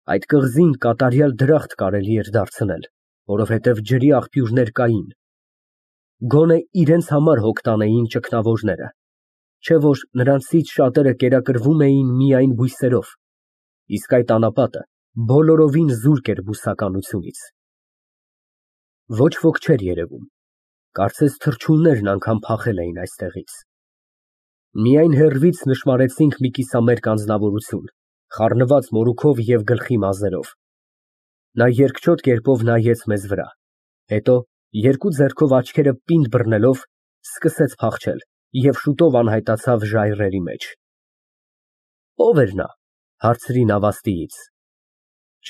Այդ կղզին կատարյալ դրախտ կարելի էր դարձնել, որովհետև ջրի աղբյուրներ կային, գոնե իրենց համար հոգ տանեին ճգնավորները, չէ որ նրանցից շատերը կերակրվում էին միայն բույսերով, իսկ այդ անապատը բոլորովին զուրկ էր բուսականությունից։ Ոչ ոք չէր երևում, կարծես թռչուններն անգամ փախել էին այստեղից։ Միայն հեռվից նշմարեցինք մի կիսամերկ անձնավորություն, խառնված մորուքով և գլխի մազերով։ Նա երկչոտ կերպով նայեց մեզ վրա, հետո երկու ձեռքով աչքերը պինդ բռնելով սկսեց փախչել և շուտով անհայտացավ ժայռերի մեջ։ Ո՞վ էր նա, հարցրի նավաստիից։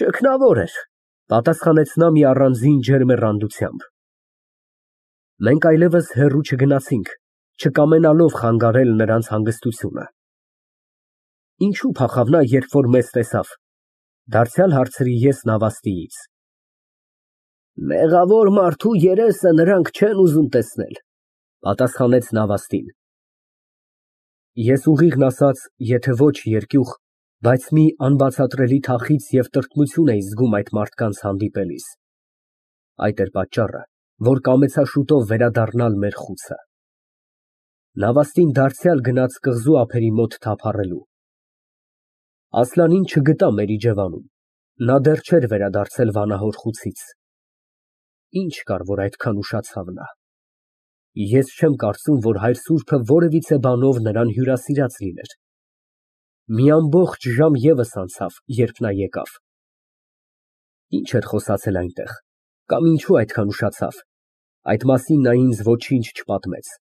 Ճգնավոր էր, պատասխանեց նա մի առանձին ջերմեռանդությամբ։ Մենք այլևս հեռու չգնացինք, չկամենալով խանգարել նրանց հանգստությունը։ Ինչո՞ւ փախավ նա, երբ որ մեզ տեսավ, դարձյալ հարցրի ես նավաստիից։ Մեղավոր մարդու երեսը նրանք չեն ուզում տեսնել, պատասխանեց նավաստին։ Ես ուղիղն ասած, եթե ոչ երկյուղ, բայց մի անբացատրելի թախիծ և տրտմություն էի զգում այդ մարդկանց հանդիպելիս։ Այդ էր պատճառը, որ կամեցա շուտով վերադառնալ մեր խուցը։ Նավաստին դարձյալ գնաց կղզու ափերի մոտ թափառելու։ Ասլանին չգտա մեր իջևանում, նա դեռ չէր վերադարձել վանահոր խուցից։ Ինչ կար, որ այդքան ուշացավ նա։ Ես չեմ կարծում, որ հայր սուրբը որևիցե բանով նրան հյուրասիրած լիներ։ Մի ամբողջ ժամ ևս անցավ, երբ նա եկավ։ Ինչ էր խոսացել այնտեղ, կամ ինչու այդքան ուշացավ, այդ մասին նա ինձ ոչինչ չպատմեց,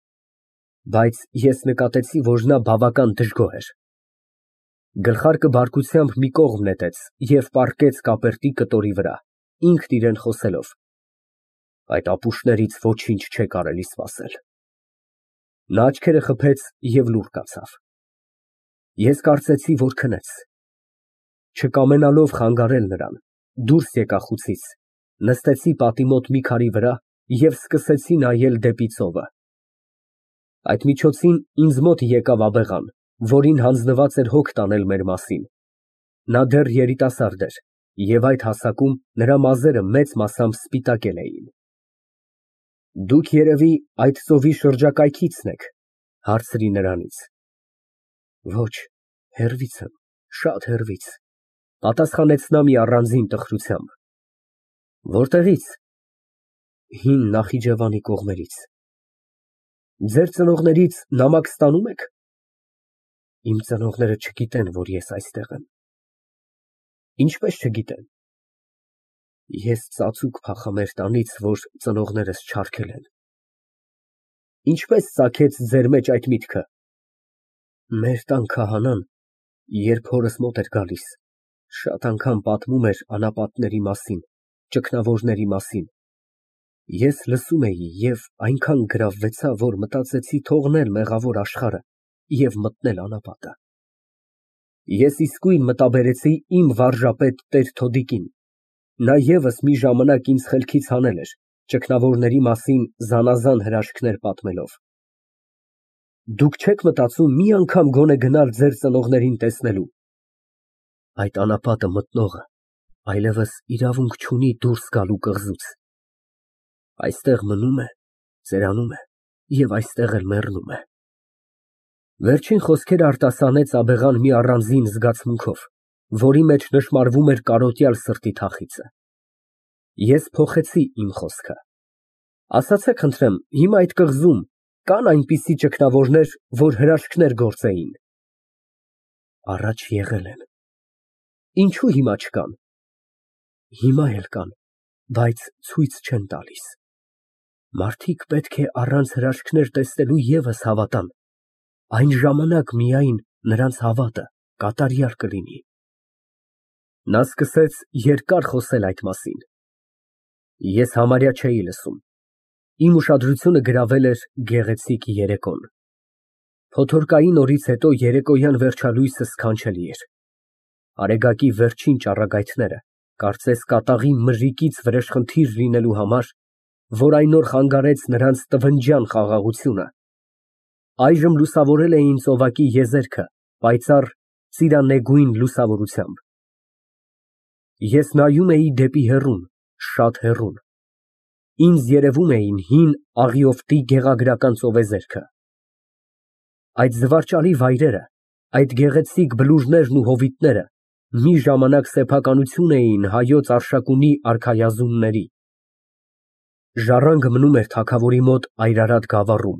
բայց ես նկատեցի, որ նա բավական դժգոհ էր։ Գլխարկը բարկությամբ մի կողմ նետեց և պառկեց կապերտի կտորի վրա, ինքն իրան խոսելով. Այդ ապուշներից ոչինչ չէ կարելի սպասել։ Նա աչքերը խփեց և լուռ կացավ։ Ես կարծեցի, որ քնեց։ Չկամենալով խանգարել նրան, դուրս եկա խուցից, նստեցի պատի մոտ մի քարի վրա և սկսեցի նայել դեպի ծովը։ Այդ միջոցին ինձ մոտ եկավ աբեղան, որին հանձնված էր հոգ տանել մեր մասին։ Նա դեռ երիտասարդ էր, և այդ հասակում նրա մազերը մեծ մասամբ սպիտակել էին։ Դուք, երևի, այդ ծովի շրջակայքիցն եք, հարցրի նրանից։ Ոչ, հեռվից եմ, շատ հեռվից, պատասխանեց նա մի առանձին տխրությամբ։ Որտեղի՞ց։ Հին Նախիջևանի կողմերից։ Ձեր ծնողներից նամակ ստանո՞ւմ եք։ Իմ ծնողները չգիտեն, որ ես այստեղ եմ։ Ինչպես չգիտեն։ Ես ծածուկ փախա մեր տանից, որ ծնողներս չարգել են։ Ինչպես ծագեց ձեր մեջ այդ միտքը։ Մեր տան քահանան, երբ հորս մոտ էր գալիս, շատ անգամ պատմում էր անապատների մասին, ճգնավորների մասին։ Ես լսում էի և այնքան գրավվեցա, որ մտածեցի թողնել մեղավոր աշխարհը և մտնել անապատը։ Ես իսկույն մտաբերեցի իմ վարժապետ տեր Թոդիկին, նա ևս մի ժամանակ ինձ խելքից հանել էր, ճգնավորների մասին զանազան հրաշքներ պատմելով։ Դուք չե՞ք մտածում մի անգամ գոնե գնալ ձեր ծնողներին տեսնելու։ Այդ անապատը մտնողը այլևս իրավունք չունի դուրս գալու կղզուց։ Այստեղ մնում է, ծերանում է և այստեղ էլ մեռնում է։ Վերջին խոսքերը արտասանեց աբեղան մի առանձին զգացմունքով, որի մեջ նշմարվում էր կարոտյալ սրտի թախիծը։ Ես փոխեցի իմ խոսքը։ Ասացեք խնդրեմ, հիմա այդ կղզում կա՞ն այնպիսի ճգնավորներ, որ հրաշքներ գործեին։ Առաջ եղել են։ Ինչո՞ւ հիմա չկան։ Հիմա էլ կան, բայց ցույց չեն տալիս։ Մարդիկ պետք է առանց հրաշքներ տեսնելու ևս հավատան, այն ժամանակ միայն նրանց հավատը կատարյալ կլինի։ Նա սկսեց երկար խոսել այդ մասին։ Ես համարյա չէի լսում։ Իմ ուշադրությունը գրավել էր գեղեցիկ երեկոն։ Փոթորկային օրից հետո երեկոյան վերջալույսը սքանչելի էր։ Արեգակի վերջին ճառագայթները, կարծես կատաղի մրրիկից վրեժխնդիր լինելու համար, որ այն օր խանգարեց նրանց տվնջյան խաղաղությունը, այժմ լուսավորել էին ծովակի եզերքը պայծառ ծիրանեգույն լուսավորությամբ։ Ես նայում էի դեպի հեռուն, շատ հեռուն։ Ինձ երևում էին հին աղիովտի գեղագրական ծովեզերքը։ Այդ զվարճալի վայրերը, այդ գեղեցիկ բլուրներն ու հովիտները մի ժամանակ սեփականություն էին հայոց Արշակունի արքայազունների։ Ժառանգը մնում էր թագավորի մոտ Այրարատ գավառում,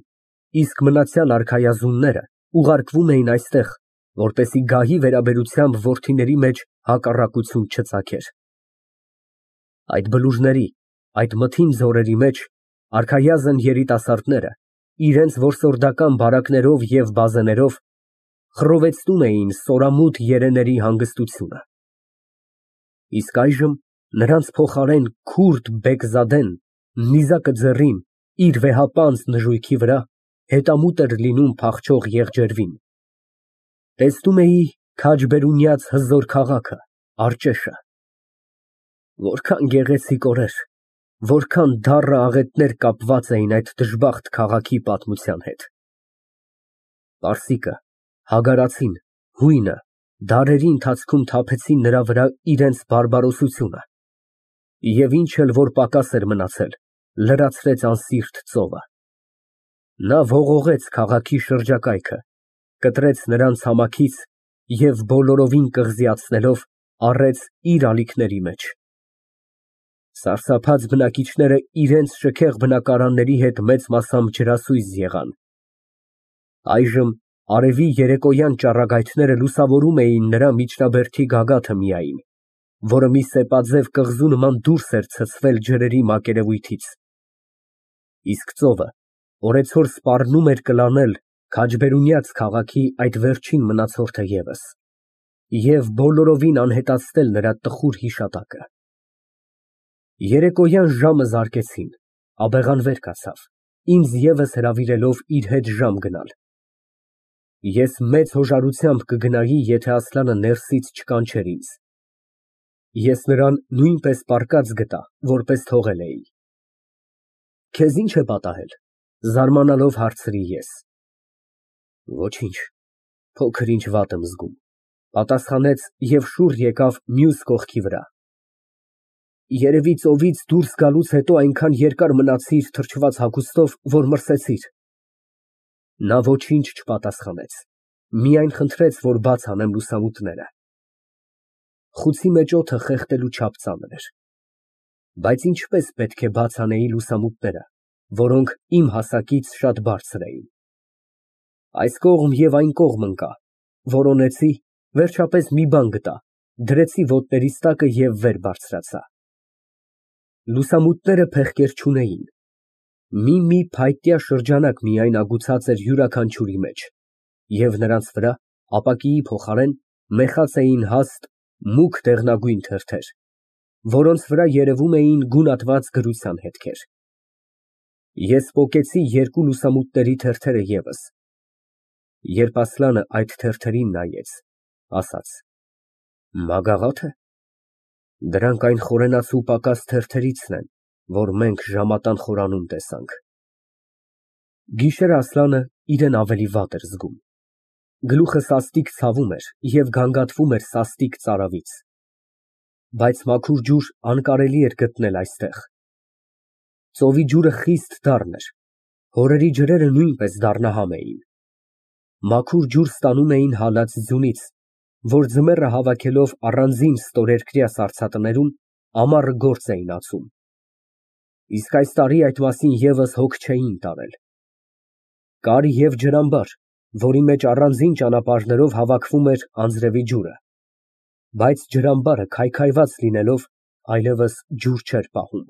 իսկ մնացյալ արքայազունները ուղարկվում էին այստեղ, որպեսզի գահի վերաբերությամբ որդիների մեջ հակառակություն չծագեր։ Այդ բլուրների, այդ մթին ձորերի մեջ արքայազն երիտասարդները իրենց որսորդական բարակներով և բազեներով խռովեցնում էին սորամուտ երեների հանգստությունը։ Իսկ այժմ նրանց փոխարեն քուրդ Բեգզադեն, նիզակը ձեռին, իր վեհապանծ նժույգի վրա հետամուտ էր լինում փախչող եղջերվին։ Տեսնում էի քաջբերունյաց հզոր քաղաքը, Արջեշը։ Որքան գեղեցիկ օրեր, որքան դառը աղետներ կապված էին այդ դժբախտ քաղաքի պատմության հետ։ Պարսիկը, Հագարացին, հույնը դարերի ընթացքում թափեցին նրա վրա իրենց բարբարոսությունը, և ինչ էլ որ պակաս էր մնացել, լրացրեց անսիրտ ծովը։ Նա ողողեց քաղաքի շրջակայքը, կտրեց նրան ցամաքից և բոլորովին կղզիացնելով առեց իր ալիքների մեջ։ Սարսափած բնակիչները իրենց շքեղ բնակարանների հետ մեծ մասամբ ջրասույզ եղան։ Այժմ արևի երեկոյան ճառագայթները լուսավորում էին նրա միջնաբերդի գագաթը միայն, որը մի սեպաձև կղզու նման դուրս էր ցցվել ջրերի մակերևույթից։ Իսկ ծովը օրեցօր սպառնում էր կլանել քաջբերունյաց քաղաքի այդ վերջին մնացորդը ևս և բոլորովին անհետացնել նրա տխուր հիշատակը։ Երեկոյան ժամը զարկեցին, աբեղան վեր կացավ, ինձ ևս հրավիրելով իր հետ ժամ գնալ։ Ես մեծ հոժարությամբ կգնայի, եթե Ասլանը ներսից չկանչեր ինձ։ Ես նրան նույնպես պառկած գտա, որպես թողել էի։ Քեզ ի՞նչ է պատահել, զարմանալով հարցրի ես։ Ոչինչ, փոքր ինչ վատ եմ զգում, պատասխանեց և շուռ եկավ մյուս կողքի վրա։ Երևի ծովից դուրս գալուց հետո այնքան երկար մնացիր թրջված հագուստով, որ մրսեցիր։ Նա ոչինչ չպատասխանեց, միայն խնդրեց, որ բաց անեմ լուսամուտները։ Խուցի մեջ օդը խեղդելու չափ ծանր էր։ Բայց ինչպես պետք է բաց անեի լուսամուտները, որոնք իմ հասակից շատ բարձր էին։ Այս կողմ և այն կողմ ընկա, որոնեցի, վերջապես մի բան գտա, դրեցի ոտներիս տակը և վեր բարձրացա։ Լուսամուտները փեղկեր չունեին։ Մի փայտյա շրջանակ միայն ագուցած էր յուրաքանչյուրի մեջ, և նրանց վրա, ապակիի փոխարեն, մեխած էին հաստ, մուգ դեղնագույն թերթեր, որոնց վրա երևում էին գունատված գրության հետքեր։ Ես պոկեցի երկու լուսամուտների թերթերը ևս։ Երբ Ասլանը այդ թերթերին նայեց, ասաց. Մագաղա՞թ է։ Դրանք այն խորենացու պակաս թերթերիցն են, որ մենք ժամատան խորանում տեսանք։ Գիշերը Ասլանը իրան ավելի վատ էր զգում։ Գլուխը սաստիկ ցավում էր և գանգատվում էր սաստիկ ծարավից։ Բայց մաքուր ջուր անկարելի էր գտնել այստեղ։ Ծովի ջուրը խիստ դառն էր, հորերի ջրերը նույնպես դառնահամ էին։ Մաքուր ջուր ստանում էին հալած ձյունից, որ ձմեռը հավաքելով առանձին ստորերկրյա սառցատներում ամառը գործ էին ածում։ Իսկ այս տարի այդ մասին ևս հոգ չէին տարել։ Կար և ջրամբար, որի մեջ առանձին ճանապարհներով հավաքվում էր անձրևի ջուրը, բայց ջրամբարը քայքայված լինելով, այլևս ջուր չէր պահում։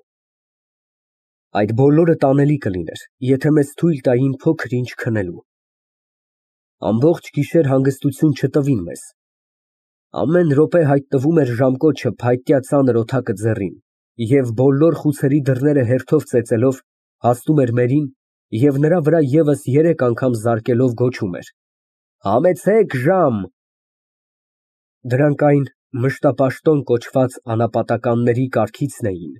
Այդ բոլորը տանելի կլիներ, եթե մեզ թույլ տային փոքր ինչ քնելու։ Ամբողջ գիշեր հանգստություն չտվին մեզ։ Ամեն րոպե հայտնվում էր ժամկոչը փայտյա ծանր օդակը ձեռին, և բոլոր խուցերի դռները հերթով ծեծելով հասնում էր մերին և նրա վրա ևս 3 անգամ զարկելով գոչում էր. Համեցեք ժամ։ Դրանք այն մշտապաշտոն կոչված անապատականների կարգիցն էին,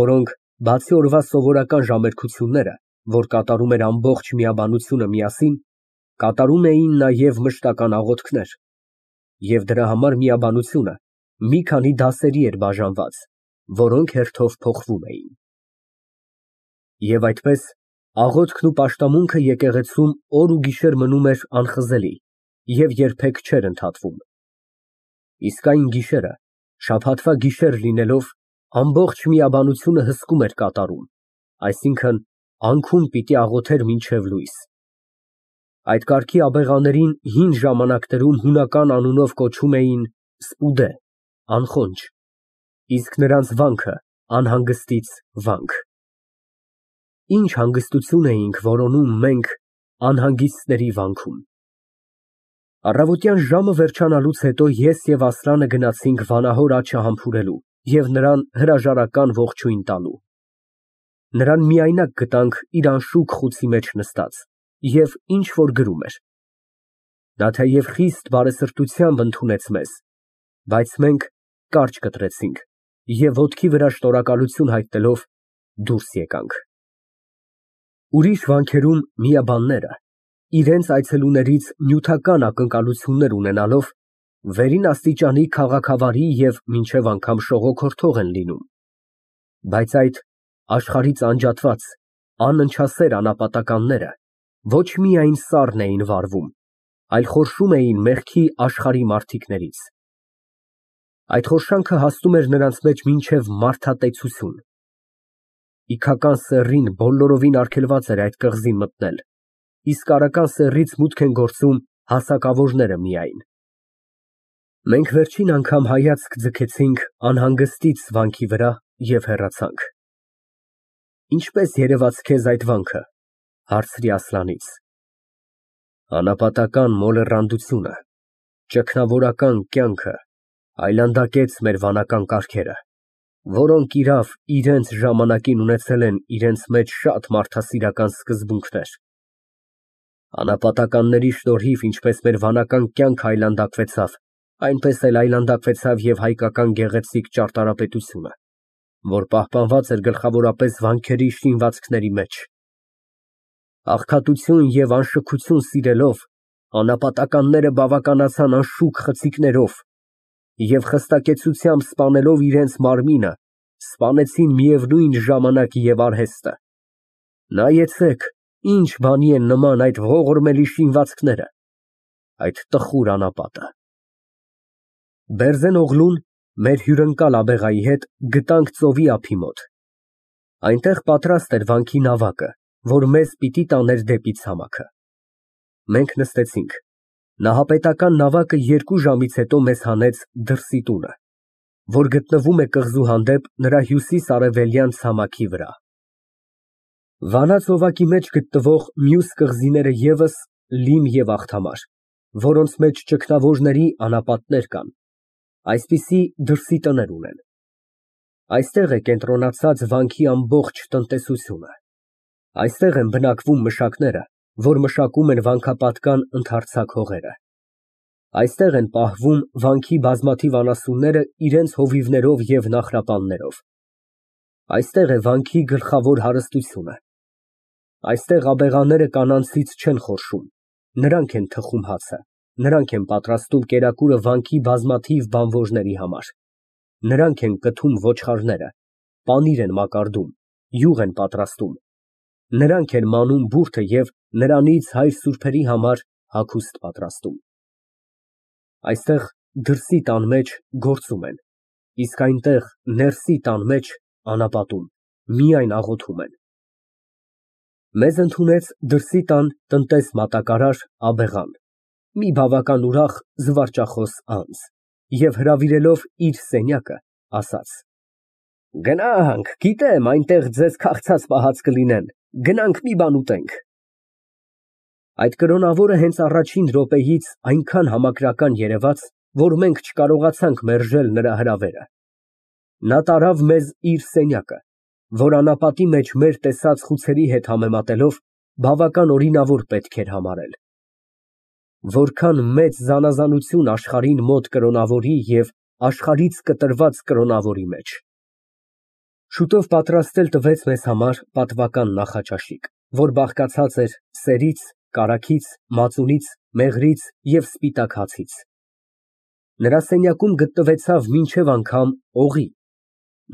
որոնք, բացի օրվա սովորական ժամերգությունները, որ կատարում էր ամբողջ միաբանությունը միասին, կատարում էին նաև մշտական աղոթքներ, և դրա համար միաբանությունը մի քանի դասերի էր բաժանված, որոնք հերթով փոխվում էին։ Եվ այդպես աղոթքն ու պաշտամունքը եկեղեցում օր ու գիշեր մնում էր անխզելի և երբեք չէր ընդհատվում։ Իսկ այն գիշերը, շաբաթվա գիշեր լինելով, ամբողջ միաբանությունը հսկում էր կատարում, այսինքն անքուն պիտի աղոթեր մինչև լույս։ Այդ կարգի աբեղաներին հին ժամանակներում հունական անունով կոչում էին սպուդե, անխոնջ, իսկ նրանց վանքը անհանգստից վանք։ Ինչ հանգստություն էինք որոնում մենք անհանգիստների վանքում։ Առավոտյան ժամը վերջանալուց հետո ես և Ասլանը գնացինք վանահոր աջը համբուրելու և նրան հրաժարական ողջույն տալու։ Նրան միայնակ գտանք իր անշուք խուցի մեջ նստած և ինչ֊որ գրում էր։ Նա թեև խիստ բարեսրտությամբ ընդունեց մեզ, բայց մենք կարճ կտրեցինք և ոտքի վրա շնորհակալություն հայտնելով դուրս եկանք։ Ուրիշ վանքերում միաբանները, իրենց այցելուներից նյութական ակնկալություններ ունենալով, վերին աստիճանի քաղաքավարի և մինչև անգամ շողոքորթող են լինում, բայց այդ աշխարհից անջատված, անընչասեր անապատականները ոչ միայն սառն էին վարվում, այլ խորշում էին մեղքի աշխարհի մարդիկներից։ Այդ խորշանքը հասնում էր նրանց մեջ մինչև մարդատեցություն։ Իգական սեռին բոլորովին արգելված էր այդ կղզին մտնել, իսկ արական սեռից մուտք են գործում հասակավորները միայն։ Մենք վերջին անգամ հայացք ձգեցինք անհանգստից վանքի վրա և հեռացանք։ Ինչպե՞ս երևաց քեզ այդ վանքը, հարցրի Ասլանից։ Անապատական մոլեռանդությունը, ճգնավորական կյանքը այլանդակեց մեր վանական կարգերը, որոնք իրավ իրենց ժամանակին ունեցել են իրենց մեջ շատ մարդասիրական սկզբունքներ։ Անապատականների շնորհիվ ինչպես մեր վանական կյանքը այլանդակվեցավ, այնպես էլ այլանդակվեցավ և հայկական գեղեցիկ ճարտարապետությունը, որ պահպանված էր գլխավորապես վանքերի շինվածքների մեջ։ Աղքատություն և անշքություն սիրելով, անապատականները բավականացան անշուք խցիկներով և խստակեցությամբ սպանելով իրենց մարմինը, սպանեցին միևնույն ժամանակ և արհեստը։ Նայեցեք, ինչ բանի են նման այդ ողորմելի շինվածքները, այդ տխուր անապատը։ Բերձեն օղլուն, մեր հյուրընկալ աբեղայի հետ, գտանք ծովի ափի մոտ։ Այնտեղ պատրաստ էր վանքի նավակը, որ մեզ պիտի տաներ դեպի ցամաքը։ Մենք նստեցինք։ Նահապետական նավակը 2 ժամից հետո մեզ հանեց դրսի տունը, որ գտնվում է կղզու հանդեպ նրա հյուսիս֊արևելյան ցամաքի վրա։ Վանա ծովակի մեջ գտնվող մյուս կղզիները ևս լիմ և աղթամար, որոնց մեջ ճգնավորների անապատներ կան, այսպիսի դրսի տներ ունեն։ Այստեղ է կենտրոնացած վանքի ամբողջ տնտեսությունը։ Այստեղ են բնակվում մշակները, որ մշակում են վանքապատկան ընդարձակ հողերը։ Այստեղ են պահվում վանքի բազմաթիվ անասունները իրենց հովիվներով և նահրապաններով։ Այստեղ է վանքի գլխավոր հարստությունը։ Այստեղ աբեղաները կանանցից չեն խորշում, նրանք են թխում հացը, նրանք են պատրաստում կերակուրը վանքի բազմաթիվ բանվորների համար, նրանք են կթում ոչխարները, պանիր են մակարդում, յուղ են պատրաստում, նրանք են մանում բուրդը և նրանից հայր սուրբերի համար հագուստ պատրաստում։ Այստեղ դրսի տան մեջ գործում են, իսկ այնտեղ ներսի տան մեջ անապատում, միայն աղոթում են։ Մեզ ընդունեց դրսի տան տնտես մատակարար աբեղան, մի բավական ուրախ զվարճախոս անձ, և հրավիրելով իր սենյակը, ասաց. Գնանք, գիտեմ, այնտեղ ձեզ քաղցած պահած կլինեն, գնանք մի բան ուտենք։ Այդ կրոնավորը հենց առաջին րոպեից այնքան համակրական երևաց, որ մենք չկարողացանք մերժել նրա հրավերը։ Նա տարավ մեզ իր սենյակը, որ անապատի մեջ մեր տեսած խուցերի հետ համեմատելով բավական օրինավոր պետք էր համարել։ Որքան մեծ զանազանություն աշխարհին մոտ կրոնավորի և աշխարհից կտրված կրոնավորի մեջ։ Շուտով պատրաստել տվեց մեզ համար պատվական նախաճաշիկ, որ բաղկացած էր սերից, կարագից, մածունից, մեղրից և սպիտակ հացից։ Նրա սենյակում գտնվեցավ մինչև անգամ օղի։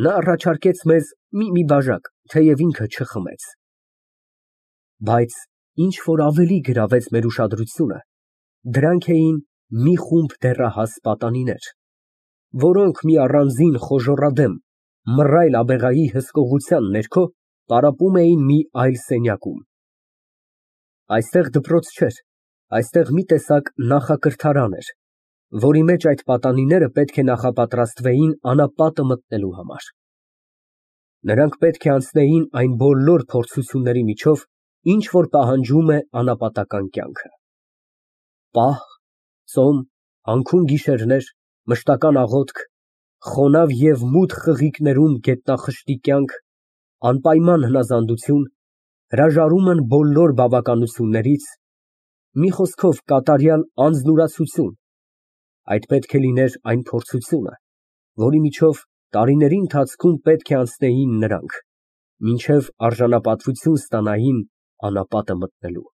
Նա առաջարկեց մեզ մի բաժակ, թեև ինքը չխմեց։ Բայց ինչ որ ավելի գրավեց մեր ուշադրությունը, դրանք էին մի խումբ դեռահաս պատանիներ, որոնք մի առանձին խոժոռադեմ, մռայլ աբեղայի հսկողության ներքո տառապում էին մի այլ սենյակում։ Այստեղ դպրոց չէր, այստեղ մի տեսակ նախակրթարան էր, որի մեջ այդ պատանիները պետք է նախապատրաստվեին անապատը մտնելու համար։ Նրանք պետք է անցնեին այն բոլոր փորձությունների միջով, ինչ որ պահանջում է անապատական կյանքը։ Պահ, ծոմ, անքուն գիշերներ, մշտական աղոթք, խոնավ և մութ խղիկներում գետնախշտի կյանք, անպայման հնազանդություն, հրաժարումն բոլոր բավականություններից, մի խոսքով կատարյալ անձնուրացություն, այդ պետք է լիներ այն փորձությունը, որի միջով տարիների ընթացքում պետք է անցնեին նրանք, մինչև արժանապատվություն ստանային անապատը մտնելու։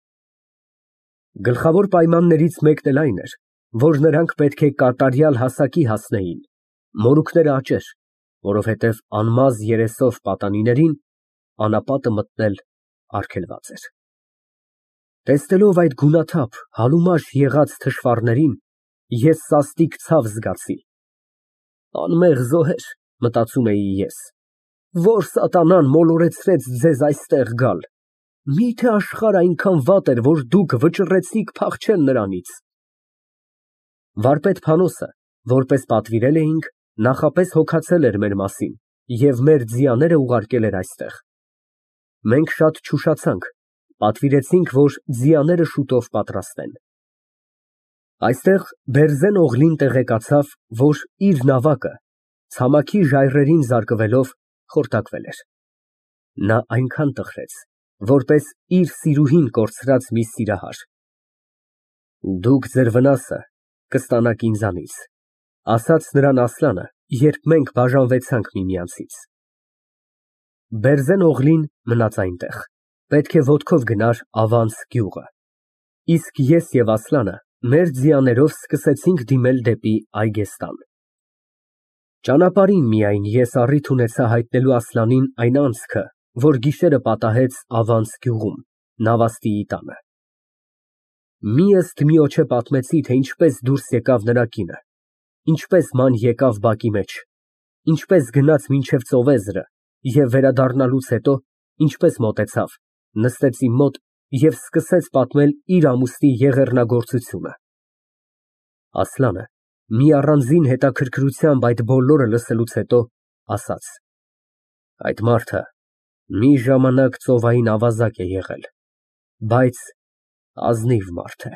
Գլխավոր պայմաններից մեկն էլ այն էր, որ նրանք պետք է կատարյալ հասակի հասնեին, մորուքները աճեր, որովհետև անմազ երեսով պատանիներին անապատը մտնել արգելված էր։ Տեսնելով այդ գունաթափ, հալումաշ եղած թշվառներին, ես սաստիկ ցավ զգացի։ Անմեղ զոհեր, մտածում էի ես, որ սատանան մոլորեցրեց ձեզ այստեղ գալ։ Մի՞թե աշխարհը այնքան վատ էր, որ դուք վճռեցիք փախչել նրանից։ Վարպետ Փանոսը, որպես պատվիրել էինք, նախապես հոգացել էր մեր մասին և մեր ձիաները ուղարկել էր այստեղ։ Մենք շատ չուշացանք, պատվիրեցինք, որ ձիաները շուտով պատրաստեն։ Այստեղ Բերզեն Օղլին տեղեկացավ, որ իր նավակը, ցամաքի ժայռերին զարկվելով, խորտակվել էր։ Նա այնքան տխրեց, որպես իր սիրուհին կորցրած մի սիրահար։ Դուք ձեր վնասը կստանաք ինձանից, ասաց նրան Ասլանը, երբ մենք բաժանվեցանք միմյանցից։ Բերզեն Օղլին մնաց այնտեղ, պետք է ոտքով գնար ավանց գյուղը, իսկ ես և Ասլանը մեր ձիաներով սկսեցինք դիմել դեպի Այգեստան։ Ճանապարհին միայն ես առիթ ունեցա հայտնելու Ասլանին այն անցքը, որ գիշերը պատահեց ավանց գյուղում, նավաստիի տանը։ Միըստմիոջե պատմեցի, թե ինչպես դուրս եկավ նրա կինը, ինչպես ման եկավ բակի մեջ, ինչպես գնաց մինչև ծովեզրը և վերադառնալուց հետո ինչպես մոտեցավ, նստեց իմ մոտ և սկսեց պատմել իր ամուսնի եղեռնագործությունը։ Ասլանը մի առանձին հետաքրքրությամբ այդ բոլորը լսելուց հետո ասաց. այդ մարդը մի ժամանակ ծովային ավազակ է եղել, բայց ազնիվ մարդ է։